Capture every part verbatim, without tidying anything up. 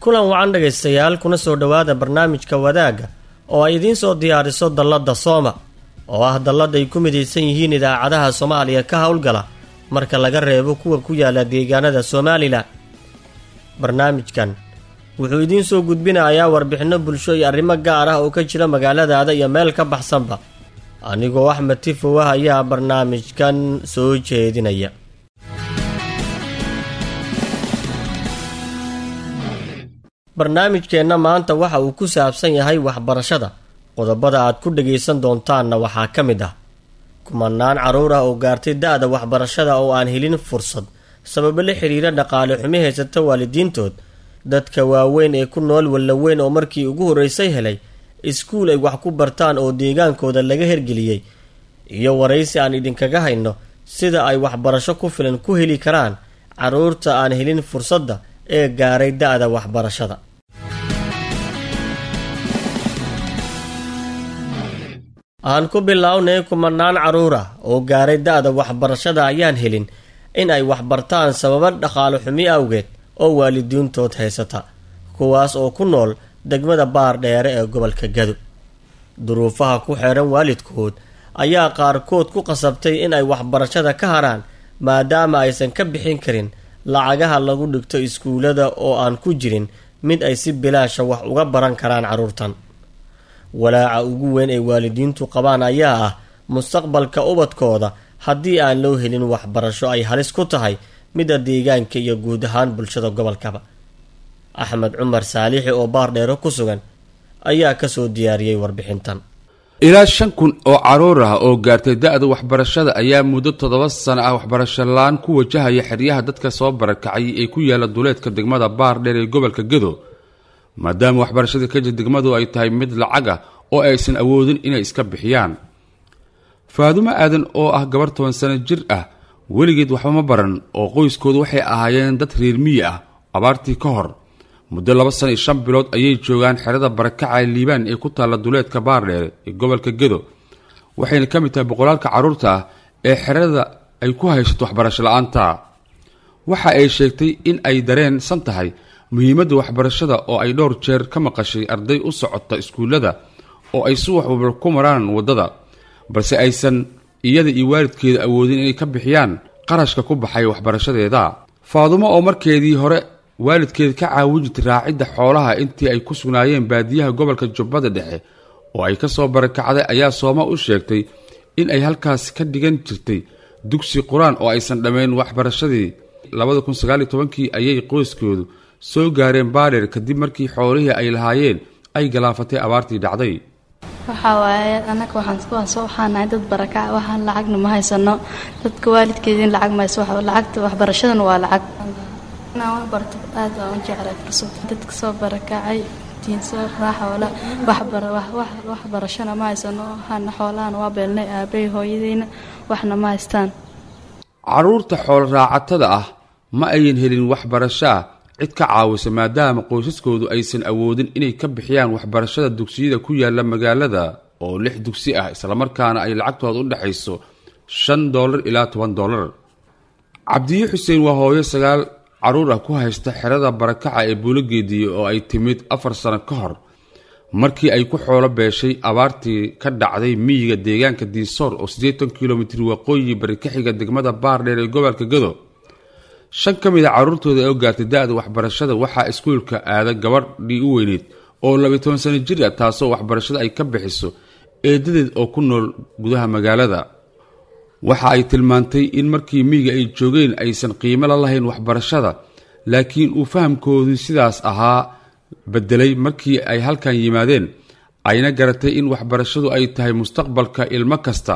Kulan wacan dhegaystayaal, kuna soo dhowaada barnaamijka Wadaagga oo ay idiin soo diyaariso dalladda Sooma, oo ah dallad ay ku midaysan yihiin idaacadaha Soomaaliya ka howlgala marka laga reebo kuwa ku yaala deegaanada Somalilan. Barnaamijkan wuxuu idiin soo gudbinayaa warbixinno bulsho iyo arrimo gaar ah oo ka jira magaaladaada iyo meel ka baxsanba. Anigoo Axmed Tifow ah ayaa barnaamijkan soo jeedinaya. Barnaamijkeenna maanta waxa uu ku saabsan yahay waxbarashada. Qodobada aad ku dhagaysan doontaanna waxaa ka mid ah kumanaan carruur ah oo gaartay da'da waxbarashada oo aan helin fursad sababo la xiriira dhaqaale xumi haysata waalidiintood, dadka waaweyn ee ku nool Wallaweyn oo markii ugu horreysay helay iskuul ay wax ku bartaan oo deegaankooda laga hergeliyey, iyo waraysi aan idinkaga hayno sida ay waxbarasho ku filan ku heli karaan carruurta aan helin fursadda ee gaaray da'da waxbarashada. Aan ku bilownay kumanaan carruur ah oo gaaray da'da waxbarashada ayaan helin in ay waxbartaan sababo dhaqaale xumi awgeed oo waalidiintood haysata, kuwaas oo ku nool degmada Baardheere ee gobolka Gado. Duruufaha ku xeeran waalidkood ayaa qaarkood ku qasabtay in ay waxbarashada ka haraan maadaama aysan ka bixin karin lacagaha lagu dhigto iskuulada oo aan ku jirin mid ay si bilaasha wax uga baran karaan carruurtan. Walaaca ugu weyn ee waalidiintu qabaan ayaa ah mustaqbalka ubadkooda haddii aan loo helin waxbarasho ay halis ku tahay midda deegaanka iyo guud ahaan bulshada gobolkaba. Axmed Cumar Saalixi oo Baardheero ku sugan ayaa kasoo diyaariyey warbixintan. Ilaa shan kun oo carruur ah oo gaartay da'da waxbarashada ayaa muddo toddoba sano ah waxbarasho la'aan ku wajahaya xeryaha dadka soo barakacay ee ku yaala duleedka degmada Baardheer ee gobolka Gedo, maadaama waxbarashada ka jir degmadu ay tahay mid lacag ah oo aysan awoodin inay iska bixiyaan. Faadumo Aadan oo ah gabar toban sano jir ah weligeed waxba ma baran oo qoyskoodu waxay ahaayeen dad reer miyi ah abaartii ka hor. Muddo laba sano iyo shan bilood ayay joogaan xerada barakaca Liibaan ee ku taalla duleedka Baardheere ee gobolka Gedo, waxayna ka mid tahay boqolaalka carruurta ah ee xerada ay ku haysato waxbarasho la'aanta. Waxa ay sheegtay in ay dareensan tahay muhiimadda waxbarashada oo ay dhowr jeer ka maqashay arday u socota iskuullada oo ay subax walba ku maraan waddada, balse aysan iyada iyo waalidkeeda awoodin inay ka bixiyaan qarashka ku baxay waxbarashadeeda. Faadumo oo markeedii hore waalidkeed ka caawin jirtay raacidda xoolaha intii ay ku sugnaayeen baadiyaha gobolka Jubbada Dhexe oo ay ka soo barakacday, ayaa Sooma u sheegtay in ay halkaas ka dhigan jirtay dugsi qur-aan oo aysan dhammayn waxbarashadii. Labada kun sagaal iyo tobankii ayay qoyskoodu soo gaareen Baardheer kadib markii xoolihii ay lahaayeen ay galaafatay abaartii dhacday. Waxaa waaye annaga waxaan soo waxaanahay dad barakac, waxaan lacagna ma haysano, dadka waalidkeediin lacag ma hayso, lacagta waxbarashadana waa lacag. Inaan wax barto aad baan u jeclay fursad dadka soo barakacay diinsoo raaxoola waxbar waxbarashana ma haysano, waxaana xoolahana waa beelnay aabay hooyadeyna waxna ma haystaan. Carruurta xoolo raacatada ah ma ayan helin waxbarasho ah cid ka caawisa maadaama qoysaskoodu aysan awoodin inay ka bixiyaan waxbarashada dugsiyada ku yaala magaalada oo lix dugsi ah, islamarkaana ay lacagtooda u dhexayso shan doolar ilaa toban doolar. Cabdiye Xuseen waa hooyo sagaal carruur ah ku haysta xerada barakaca ee Buulogeediye oo ay timid afar sano ka hor markii ay ku xoolo beeshay abaartii ka dhacday miyiga deegaanka Diinsoor oo siddeetan kilomitir waqooyi bari ka xiga degmada Baardheer ee gobolka Gedo. Shan ka mid a carruurtooda oo gaartay da'da waxbarashada waxaa iskuulka aada gabadhii u weyneyd oo labiyo toban sano jir ah, taasoo waxbarashada ay ka bixiso eedadeed oo ku nool gudaha magaalada. Waxa ay tilmaantay in markii miyiga ay joogeen aysan qiimo la lahayn waxbarashada, laakiin uu fahamkoodu sidaas ahaa bedelay markii ay halkan yimaadeen, ayna garatay in waxbarashadu ay tahay mustaqbalka ilmo kasta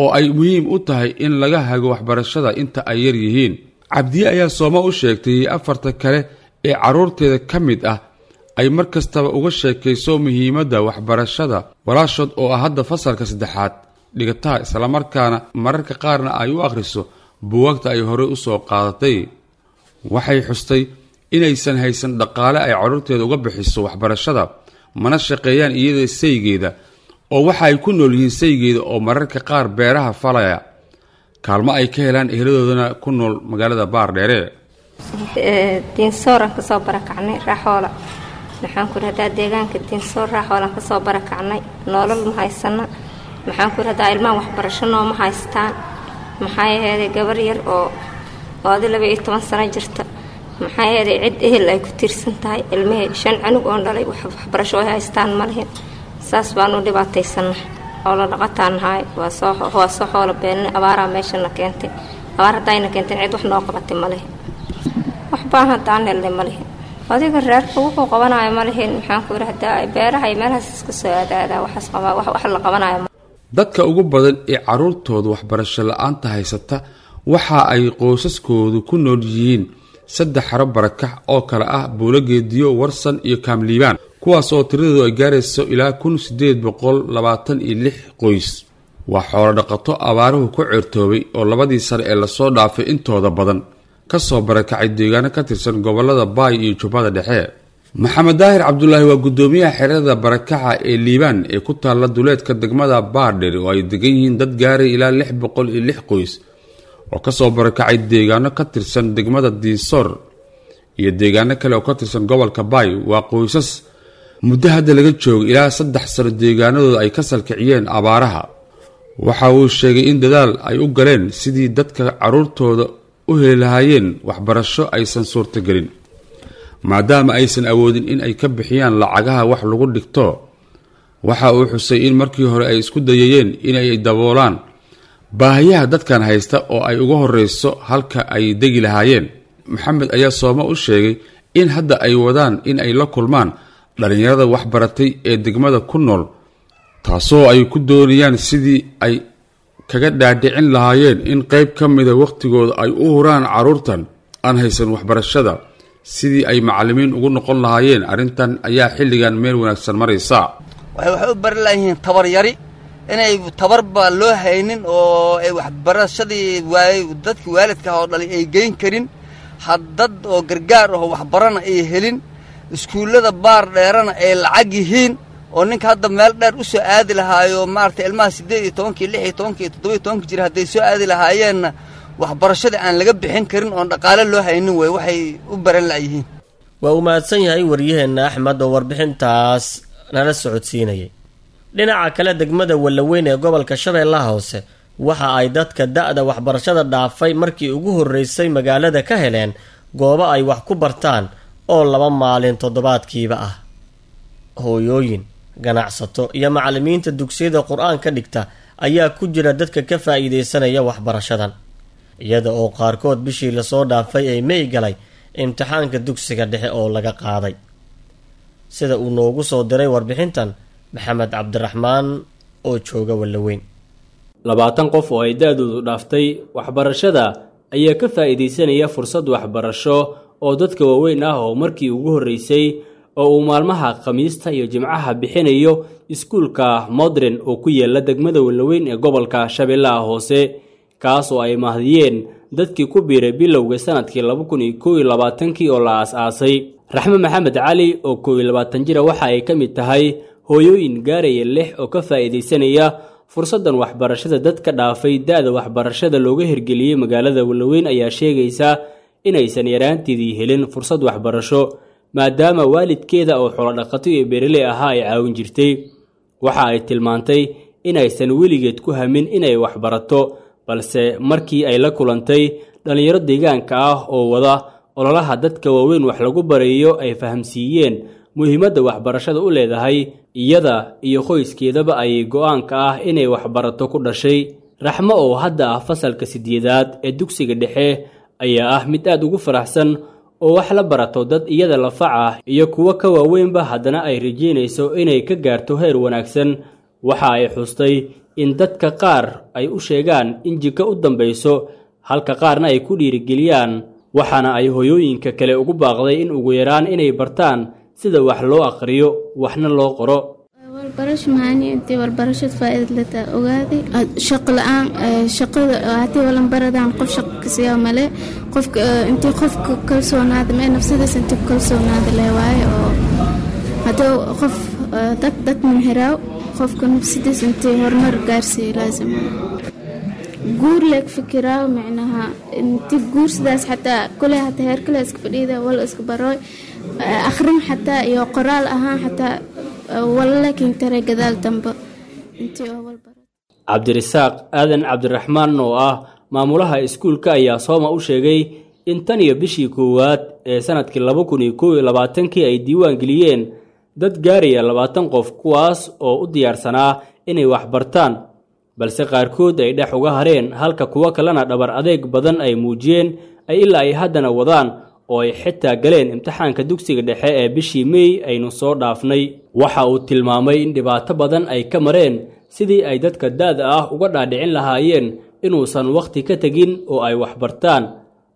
oo ay muhiim u tahay in laga hago waxbarashada inta ay yar yihiin. Cabdiye ayaa Sooma u sheegtay afarta kale ee carruurteeda ka mid ah ay mar kastaba uga sheekayso muhiimadda waxbarashada walaashood oo ah hadda fasalka saddexaad dhigataha, islamarkaana mararka qaarna ay u akhriso buugaagta ay horey u soo qaadatay. Waxay xustay inaysan haysan dhaqaale ay carruurteeda uga bixiso waxbarashada, mana shaqeeyaan iyada saygeeda oo waxa ay ku nool yihiin saygeeda oo mararka qaar beeraha falaya, kaalmo ay ka helaan eheladoodana ku nool magaalada Baardheere. Diinsooraan kasoo barakacnay Raaxoola. Maxaan ku rahdaa deegaanka Diinsoor Raaxoolaan kasoo barakacnay. Noolal ma haysana. Maxaan ku rahdaa ilmaha waxbarasho nooma haystaan. Maxaa aheeday gabar yar oo oo adi laba iyo toban sano jirta. Maxaa aheeday cid ehel ay ku tiirsan tahay ilmihii shan canug oon dhalay, waxbarasho ay haystaan ma lihin. Saas baan u dhibaataysana. Xoolo dhaqataan nahay, waa soo waa soo xoolo beelnay. Abaaraa meeshana keentay. Abaar haddayna keenteen cid wax noo qabatay ma lihin. Wax baan haddaan helnay ma lihin. Adiga reerka wuxuu qabanayo ma lihin. Maxaan ku yidhahdaa beeraha iyo meelahaas iska soo aadaadaa waxaas qabaa wax wax la qabanayo. Dadka ugu badan ee carruurtooda waxbarasho la-aanta haysata waxa ay qoysaskoodu ku nool yihiin saddex xaro barakax oo kale ah Buulogeediyo, Warsan iyo Kaamliibaan, kuwaas oo tiradoodu ay gaarayso ilaa kun sideed boqol labaatan iyo lix qoys. Waa xoolo dhaqato abaaruhu ku ceertoobay oo labadii sane ee lasoo dhaafay intooda badan ka soo barakacay deegaano ka tirsan gobolada Baay iyo Jubbada Dhexe. Maxamed Daahir Cabdulaahi waa guddoomiyaha xerada barakaxa ee Liibaan ee ku taalla duleedka degmada Baardheer, oo ay degan yihiin dad gaaray ilaa lix boqol iyo lix qoys oo kasoo barakacay deegaano ka tirsan degmada Diinsoor iyo deegaano kale oo ka tirsan gobolka Baay. Waa qoysas muddo hadda laga joogo ilaa saddex sano deegaanadooda ay ka salkiciyeen abaaraha. Waxa uu sheegay in dadaal ay u galeen sidii dadka carruurtooda u heli lahaayeen waxbarasho aysan suurtagelin, maadaama aysan awoodin in ay ka bixiyaan lacagaha wax lagu dhigto. Waxa uu xusay in markii hore ay isku dayayeen inay daboolaan baahiyaha dadkan haysta oo ay uga horeyso halka ay degi lahaayeen. Maxamed ayaa Sooma u sheegay in hadda ay wadaan in ay la kulmaan dhallinyarada waxbaratay ee degmada ku nool, taasoo ay ku doonayaan sidii ay kaga dhaadhicin lahaayeen in qayb ka mida wakhtigooda ay u huraan carruurtan aan haysan waxbarashada sidii ay macallimiin ugu noqon lahaayeen. Arrintan ayaa xilligan meel wanaagsan maraysa. Waxay waxay u bari layihiin tabar yari, inay tabarba loo haynin oo ay waxbarashadii waay dadkii waalidka ah oo dhalay ay geyn karin, haddad oo gargaar aho waxbarana ay helin, iskuullada Baar Dheerana ay lacag yihiin, oo ninka hadda meel dheer u soo aadi lahaayo maaragtay ilmaha siddeed iyo tobankii, lix iyo tobankii iyo toddoba iyo tobankii jira hadday soo aadi lahaayeenna waxbarashadii aan laga bixin karin oon dhaqaale loo haynin wey waxay u baran la'yihiin. Waa uu mahadsan yahay waryaheenna Axmed oo warbixintaas nala socodsiinayay. Dhinaca kale, degmada Wallaweyn ee gobolka Shabeellaha Hoose waxa ay dadka da-da waxbarashada dhaafay markii ugu horreysay magaalada ka heleen goobo ay wax ku bartaan oo laba maalin toddobaadkiiba ah. Hooyooyin, ganacsato iyo macallimiinta dugsiyada qur-aanka dhigta ayaa ku jira dadka ka faa'iidaysanaya waxbarashadan, iyada oo qaarkood bishii lasoo dhaafay ay mey galay imtixaanka dugsiga dhexe oo laga qaaday. Sida uu noogu soo diray warbixintan Maxamed Cabdiraxmaan oo jooga Wallaweyn. Labaatan qof oo ay da-doodu dhaaftay waxbarashada ayaa ka faa'iidaysanaya fursad waxbarasho oo dadka waaweyn ah oo markii ugu horreysay oo uu maalmaha Khamiista iyo Jimcaha bixinayo iskuulka Modern oo ku yaala degmada Wallaweyn ee gobolka Shabeellaha Hoose, kaas oo ay mahdiyeen dadkii ku biiray bilowga sanadkii laba kun iyo kow iyo labaatankii oo la aas-aasay. Raxme Maxamed Cali oo kow iyo labaatan jira waxa ay ka mid tahay hooyooyin gaaraya lix oo ka faa'iidaysanaya fursaddan waxbarashada dadka dhaafay da-da waxbarashada looga hirgeliyey magaalada Wallaweyn, ayaa sheegaysa inaysan yaraanteedii helin fursad waxbarasho maadaama waalidkeeda oo xoolodhaqato iyo beeraley ahaa ay caawin jirtay. Waxa ay tilmaantay inaysan weligeed ku hamin inay waxbarato, balse markii ay la kulantay dhallinyaro deegaanka ah oo wada ololaha dadka waaweyn wax lagu barayo ay fahamsiiyeen muhiimadda waxbarashada u leedahay iyada iyo qoyskeedaba, ayay go-aanka ah inay waxbarato ku dhashay. Raxmo oo hadda ah fasalka sideedaad ee dugsiga dhexe ayaa ah mid aad ugu faraxsan oo wax la barato dad iyada lafac ah iyo kuwo ka waaweynba, haddana ay rajeynayso inay ka gaarto heer wanaagsan. Waxa ay xustay in dadka qaar ay u sheegaan in jiko u dambayso, halka qaarna ay ku dhiirigeliyaan, waxaana ay hooyooyinka kale ugu baaqday in ugu yaraan inay bartaan sida wax loo aqriyo waxna loo qoro. Walbarasho maani intii walbarashad faa'iidad leta ogaaday. Shaqo la-aan, shaqada haddii walan baradaan qof shaqo kasiyaa male. Qofka intii qofka kalsoonaada mee nafsadiisa intii ku kalsoonaada leh waaye, oo haddii qof dad dad munhiraaw qofka nafsadiisa intii horumar gaarsiiyo laazim. Guur leeg fikiraa, micnaha inti guursidaas xataa kule hataa heer kale iska fadhiida wala iska barooy akhrin xataa iyo qoraal ahaan xataa wala laakiin tare gadaal dambe intii oo wal baro. Cabdirasaaq Aadan Cabdiraxmaan oo ah maamulaha iskuulka ayaa Sooma u sheegay in tan iyo bishii koowaad ee sanadkii laba kun iyo kow iyo labaatankii ay diiwaan geliyeen dad gaaraya labaatan qof, kuwaas oo u diyaarsanaa inay waxbartaan, balse qaarkood ay dhex uga hareen, halka kuwo kalena dhabar adeeg badan ay muujiyeen ay ilaa ay haddana wadaan oo ay xitaa galeen imtixaanka dugsiga dhexe ee bishii Mey aynu soo dhaafnay. Waxa uu tilmaamay in dhibaato badan ay ka mareen sidii ay dadka da'da ah uga dhaadhicin lahaayeen inuusan wakhti ka tegin oo ay waxbartaan,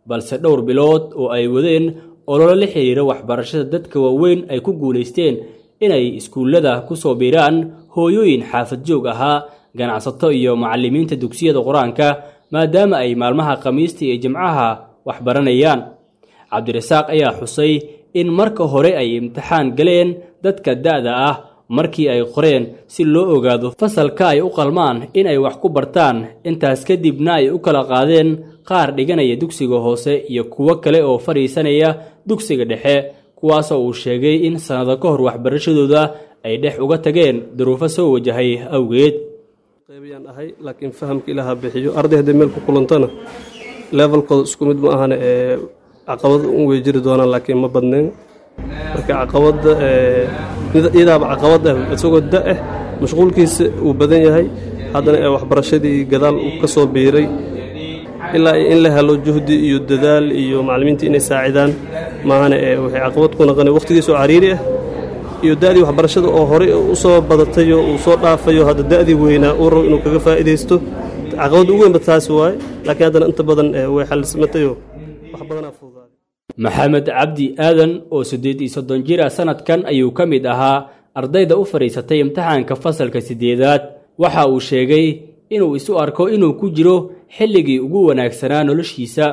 balse dhowr bilood oo ay wadeen ololo la xiriira waxbarashada dadka waaweyn ay ku guulaysteen inay iskuullada ku soo biiraan hooyooyin xaafad joog ahaa, ganacsato iyo macallimiinta dugsiyada qur-aanka, maadaama ay maalmaha Khamiista iyo Jimcaha waxbaranayaan. Cabdirasaaq ayaa xusay in marka hore ay imtixaan galeen dadka da'da ah markii ay qoreen si loo ogaado fasalka ay u qalmaan in ay wax ku bartaan, intaas kadibna ay u kala qaadeen qaar dhiganaya dugsiga hoose iyo kuwo kale oo fadhiisanaya dugsiga dhexe, kuwaasoo uu sheegay in sannado ka hor waxbarashadooda ay dhex uga tageen duruufo soo wajahay awgeed. Qaybiyaan ahay, laakiin fahamka Ilaaha bixiyo. Arday hadday meel ku kulantana levelkooda isku mid ma ahane, ee caqabad un way jiri doonaan, laakiin ma badnayn. Marka caqabadda iyadaaba caqabad ah, isagoo da ah, mashquulkiisa uu badan yahay, haddana ee waxbarashadii gadaal uu ka soo biiray, ilaa in la helo juhdi iyo dadaal iyo macallimiinta inay saacidaan maahane, ee waxay caqabad ku noqonay waqtigiisa oo cariiri ah iyo da'dii waxbarashada oo horey u soo badatayo uu soo dhaafayo, hadda da'dii weynaa uu rabo inuu kaga faa'iidaysto. Caqabadda ugu weynba taasi waaye, laakiin haddana inta badan way xallismatayoo wax badanaa fududaaday. Maxamed Cabdi Aadan oo siddeed iyo soddon jir ah sanadkan ayuu ka mid ahaa ardayda u fadhiisatay imtixaanka fasalka siddeedaad. Waxa uu sheegay inuu isu arko inuu ku jiro xilligii ugu wanaagsanaa noloshiisa,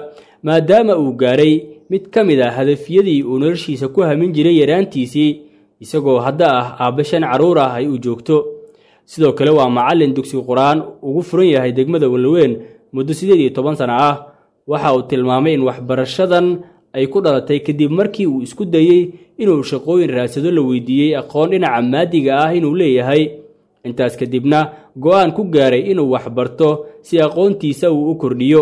maadaama uu gaaray mid ka mid ah hadafyadii uu noloshiisa ku hamin jiray yaraantiisii, isagoo hadda ah aabbe shan carruur ah ay u joogto. Sidoo kale waa macallin dugsi qur-aan ugu furan yahay degmada Walaweyn muddo siddeed iyo toban sano ah. Waxa uu tilmaamay in waxbarashadan ay ku dhalatay kadib markii uu isku dayey inuu shaqooyin raadsado, la weydiiyey aqoon dhinaca maadiga ah inuu leeyahay, intaas kadibna go'aan ku gaaray inuu waxbarto si aqoontiisa uu u kordhiyo.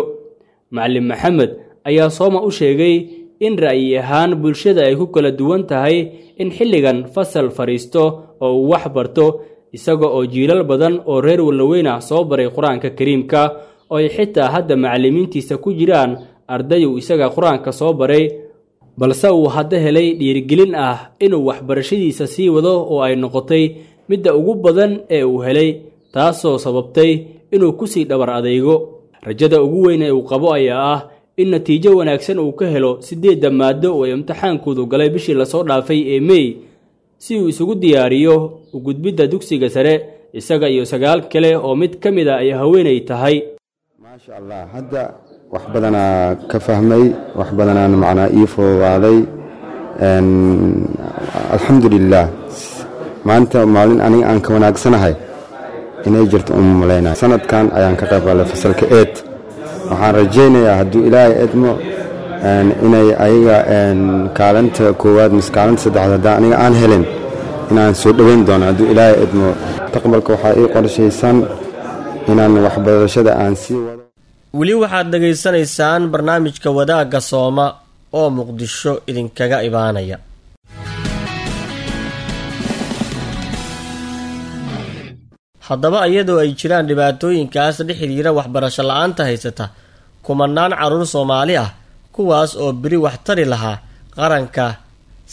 Macallin Maxamed ayaa Sooma u sheegay in ra'yi ahaan bulshada ay ku kala duwan tahay in xilligan fasal fadhiisto oo uu wax barto, isaga oo jiilal badan oo reer Walaweyn ah soo baray qur-aanka kariimka, oo ay xitaa hadda macallimiintiisa ku jiraan arday uu isaga qur-aanka soo baray, balse uu hadda helay dhiirigelin ah inuu waxbarashadiisa sii wado oo ay noqotay midda ugu badan ee uu helay, taasoo sababtay inuu kusii dhabar adeygo. Rajada ugu weyn ee uu qabo ayaa ah in natiijo wanaagsan uu ka helo siddeedda maado oo ay imtixaankoodu galay bishii lasoo dhaafay ee Mey, si uu isugu diyaariyo u gudbidda dugsiga sare, isaga iyo sagaal kale oo mid ka mid a ay haweenay tahay. Maasha Allah, hadda wax badanaa ka fahmay, wax badanaan macnaa ii fududaaday, alxamdulilaah. Maanta maalin aniga aan ka wanaagsanahay inay jirto uma malaynaya. Sanadkan ayaan ka qayb galay fasalka eed. Waxaan rajaynayaa hadduu Ilaahay edmo inay ayaga kaalinta koowaad mise kaalinta saddexaad haddaan aniga aan helin inaan soo dhoweyn doono hadduu Ilaahay edmo. Mustaqbalka waxaa ii qorshaysan inaan waxbarashada aan sii wado. Weli waxaad dhegaysanaysaan barnaamijka Wadaagga Sooma oo Muqdisho idinkaga imaanaya. Haddaba iyadoo ay jiraan dhibaatooyinkaas la xiriira waxbarasho la-aanta haysata kumanaan carruur Soomaali ah, kuwaas oo beri wax tari lahaa qaranka,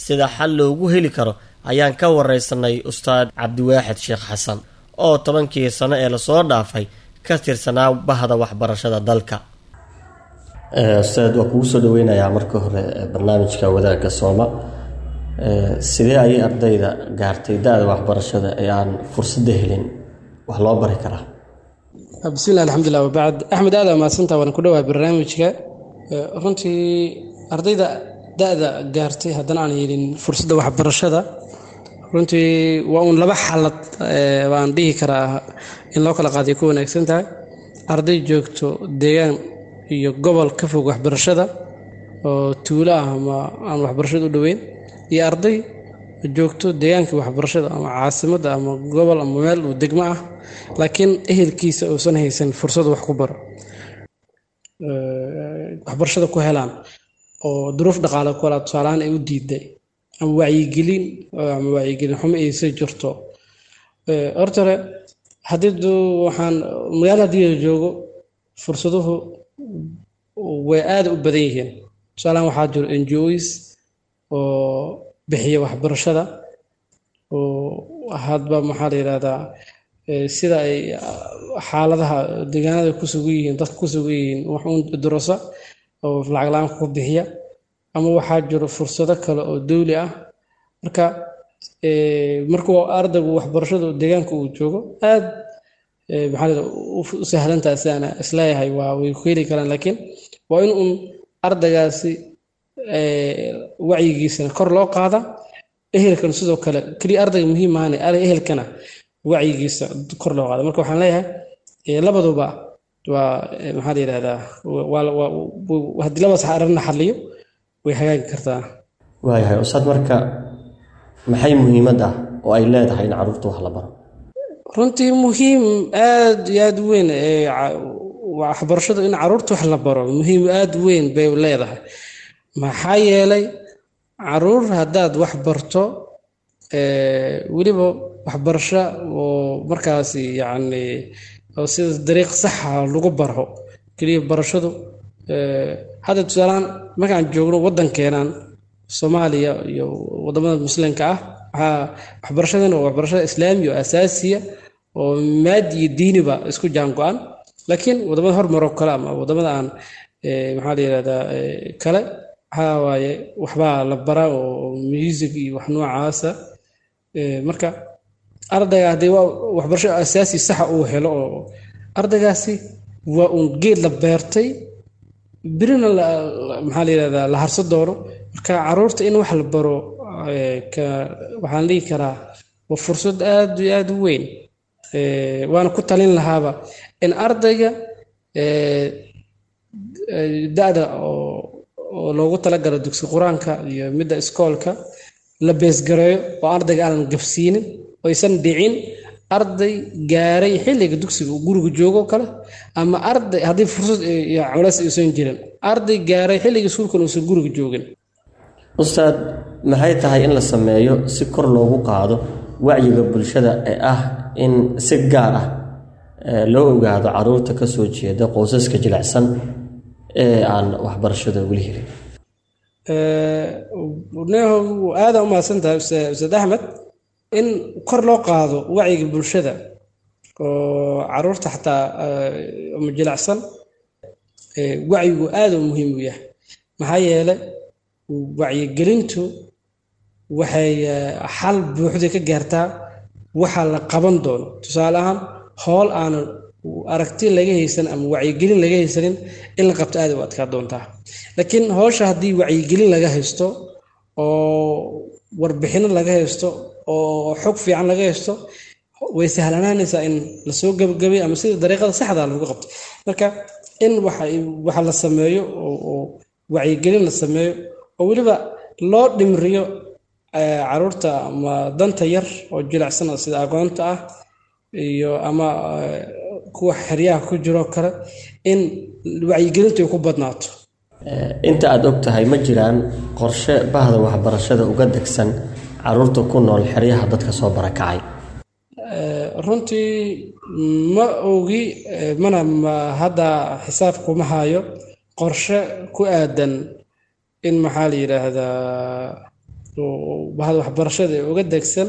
sida xal loogu heli karo ayaan ka wareysanay Ustaad Cabdiwaaxid Sheekh Xasan oo tobankii sano ee lasoo dhaafay ka tirsanaa bahda waxbarashada dalka. Ustaad, waa kugu soo dhaweynayaa marka hore barnaamijka Wadaagga Sooma. Sidee ayay ardayda gaartay da-da waxbarashada ee aan fursadda helin wax loo bari karaa? Bismillahi, alxamdulilah, wabacd. Axmed, aada mahadsantaa, waan ku dhawahay barnaamijka. Runtii ardayda da-da gaartay haddana aan helin fursadda waxbarashada, runtii waa uun laba xaalad baan dhihi karaa in loo kala qaadiyo ku wanaagsan tahay. Arday joogto deegaan iyo gobol ka fog waxbarashada oo tuulo ah ama aan waxbarashada u dhoweyn, iyo arday joogto deegaanka waxbarashada ama caasimadda ama gobol ama meel uu degmo ah, laakiin ehelkiisa uusan haysan fursad wax ku baro, waxbarashada ku helaan oo duruuf dhaqaale ku helaa tusaalahaan ay u diiday ama wacyigelin ama wacyigelin xumo aysa jirto. Horta hore haddii waxaan magaalada haddii la joogo, fursaduhu way aada u badan yihiin. Tusaalahaan waxaa jiro N G Os oo bixiya waxbarashada, oo hadba maxaa la yidhahdaa sida ay xaaladaha deegaanada ku sugan yihiin, dadka ku sugan yihiin, wax uun durasa oo lacag la-aan ku bixiya, ama waxaa jiro fursado kale oo dowli ah. Marka markuu ardaygu waxbarashada deegaanka uu joogo, aad maxaa la u sahlantahay sidaan isleeyahay, waa way ku heli karaan, laakiin waa in uun ardaygaasi wacyigiisana kor loo qaada, ehelkana sidoo kale. Keliya ardayga muhiim maahane, ehelkana wacyigiisa kor loo qaada. Marka waxaan leeyahay labaduba waa maxaa la yidhahdaa, haddii labadaas arrin la xalliyo way hagaagi kartaa. Waayahay ustaad, marka maxay muhiimad ah oo ay leedahay in carruurta wax la baro? Runtii muhiim aad iyo aad u weyn waxbarashadu, in caruurta wax la baro muhiim aad u weyn bay leedahay. Maxaa yeelay caruur haddaad wax barto, weliba waxbarasho oo markaasi yacni oo sida dariiq saxa lagu baro, keliya barashadu hadda tusaalahaan markaan joogno waddankeenan Soomaaliya iyo waddamada Muslimka ah, waxaa waxbarashadan waa waxbarashada Islaami oo asaasiya oo maadi iyo diiniba isku jaan go-an. Laakiin waddamada hormaroo kale ama waddamada aan maxaa la yidhahdaa kale, waxaa waaye waxbaa la baraa oo music iyo wax noocaasa. Marka ardayga haddii waa waxbarasho asaasi saxa uu helo, oo ardaygaasi waa uun geed la beertay, birina maxaa la yidhahdaa la harso doono. Marka caruurta in wax la baro waxaan dhihi karaa waa fursad aad iyo aad u weyn, waana ku talin lahaaba in ardayga da-da oo loogu talagalo dugsi Qur-aanka iyo midda iskoolka la beesgareeyo, oo ardayga aanan gabsiinin oo aysan dhicin arday gaaray xilliga dugsiga uu guriga joogo kale, ama arday haddii fursad iyo culays aysan jirin, arday gaaray xilliga iskuulkan uusan guriga joogin. Ustaad, maxay tahay in la sameeyo si kor loogu qaado wacyiga bulshada ee ah in si gaar ah loo ogaado caruurta ka soo jeeda qoysaska jilicsan ee aan waxbarashada weli helin? Neho, aada u mahadsan tahay Ustaad Axmed. In kor loo qaado wacyiga bulshada oo caruurta xataa ama jilicsan, wacyigu aada u muhiim u yahay. Maxaa yeelay wacyigelintu waxay xal buuxda ka gaartaa waxa la qaban doono. Tusaale ahaan, howl aanan aragti laga haysan ama wacyigelin laga haysanin in la qabto aada u adkaa doontaa, laakiin howsha haddii wacyigelin laga haysto oo warbixino laga haysto oo xog fiican laga haysto, way sahlanaanaysaa in lasoo gabagabay ama sida dariiqada saxda lagu qabto. Marka in waxa waxa la sameeyo oo wacyigelin la sameeyo oo weliba loo dhimriyo caruurta ama danta yar oo jilicsan sida aqoonta ah iyo ama kuwa xeryaha ku jiro kale, in wacyigelintu ay ku badnaato. Inta aada og tahay, ma jiraan qorshe bahda waxbarashada uga degsan caruurta ku nool xeryaha dadka soo barakacay? Runtii ma ogi, mana hadda xisaab kuma hayo qorshe ku aadan in maxaa la yidhaahdaa bahda waxbarashada ee uga degsan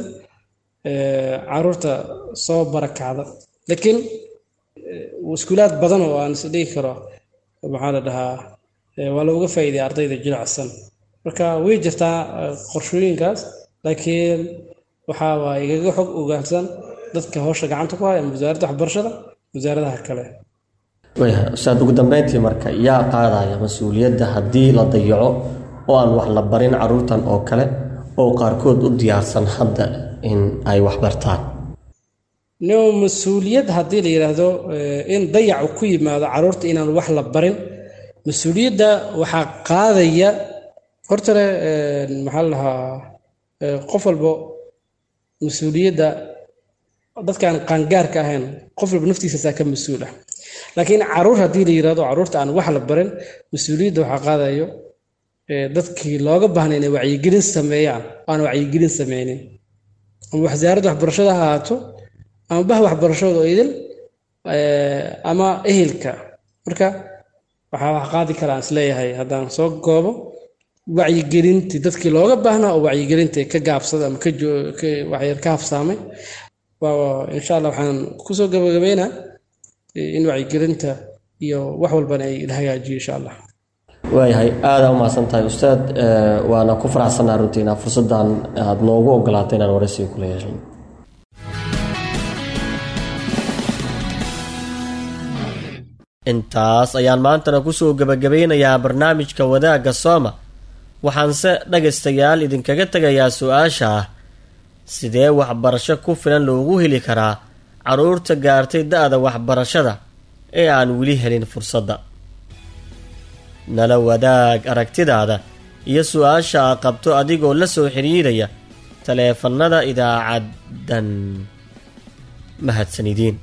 caruurta soo barakacda, laakiin iskuulaad badan oo aan is dhihi karo maxaa la dhahaa waa looga faa'iidaya ardayda jilicsan. Marka way jirtaa qorshooyinkaas, laakiin waxaa waa igaga xog ogaansan dadka howsha gacanta ku haya ama wasaaradda waxbarashada, wasaaradaha kale. Waayahay ustaad, ugu dambeyntii marka yaa qaadaya mas-uuliyadda haddii la dayaco oo aan wax la barin caruurtan oo kale oo qaarkood u diyaarsan hadda in ay wax bartaan? No, mas-uuliyad haddii la yidhaahdo in dayacu ku yimaado caruurta inaan wax la barin, mas-uuliyadda waxaa qaadaya hortale, maxaa la dhahaa, qof walbo mas-uuliyadda dadkaan qaangaarka ahayn, qof walba naftiisaasaa ka mas-uul ah. Laakiin caruur haddii la yidhahdo, caruurta aan wax la barin, mas-uuliyadda waxaa qaadayo dadkii looga baahnay inay wacyigelin sameeyaan aan wacyigelin sameynin, ama wasaaradda waxbarashada ha ahaato, ama bah waxbarashada oo idil, ama ehelka. Marka waxaa wax qaadi kara aan isleeyahay, haddaan soo goobo, wacyigelintii dadkii looga baahnaa oo wacyigelinta ka gaabsada ama kawaxyar ka hafsaamay. Insha Allah waxaan kusoo gabagabeynaa in wacyigelinta iyo wax walbana ay la hagaajiyo, insha Allah. Waayahay, aadaa umahadsan tahay ustaad, waana ku faraxsanaa runtii inaa fursaddan aada noogu ogolaatay inaan waraysiga kula yeeshan. Intaas ayaan maantana kusoo gebagabeynayaa barnaamijka Wadaagga Sooma. Waxaanse dhagaystayaal idinkaga tegayaa su-aasha ah: sidee waxbarasho ku filan loogu heli karaa carruurta gaartay da-da waxbarashada ee aan weli helin fursadda? Nala wadaag aragtidaada iyo su-aasha a qabto adigoo la soo xiriiraya taleefannada idaacaddan. Mahadsan idiin.